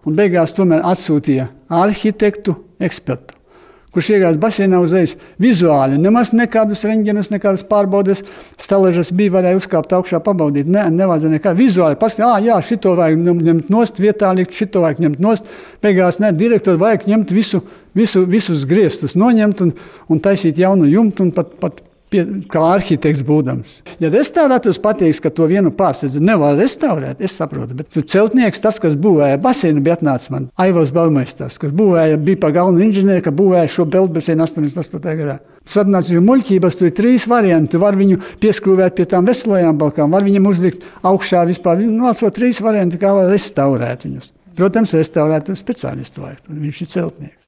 Un beigās tomēr atsūtīja arhitektu ekspertu, kurš iegājās baseinā uzreiz vizuāli. Nemaz nekādus reņģenus, nekādas pārbaudes. Staležas varēja uzkāpt augšā, pabaudīt. Nevajadzēja nekā. Vizuāli paskatīt, jā, šito vajag ņemt nost, vietā likt, šito vajag ņemt nost. Beigās direktori vajag ņemt visus griestus, noņemt un taisīt jaunu jumtu un pat kā arhitekts būdams. Ja restaurators pateiks, ka to vienu pārsedzi nevar restaurēt, es saprotu, bet celtnieks, tas, kas būvēja baseinu, bija atnācis man Aivars Baumeistars, kas bija pa galvenu inženieri, ka būvēja šo peldbaseinu 88. gadā. Tas atnācis muļķības, tur ir 3 varianti. Var viņu pieskrūvēt pie tām veselajām balkām, var viņam uzlikt augšā vispār. Vēl 3 varianti, kā var restaurēt viņus. Protams, restaurēt speciālistu vajag, viņš ir celtnieks.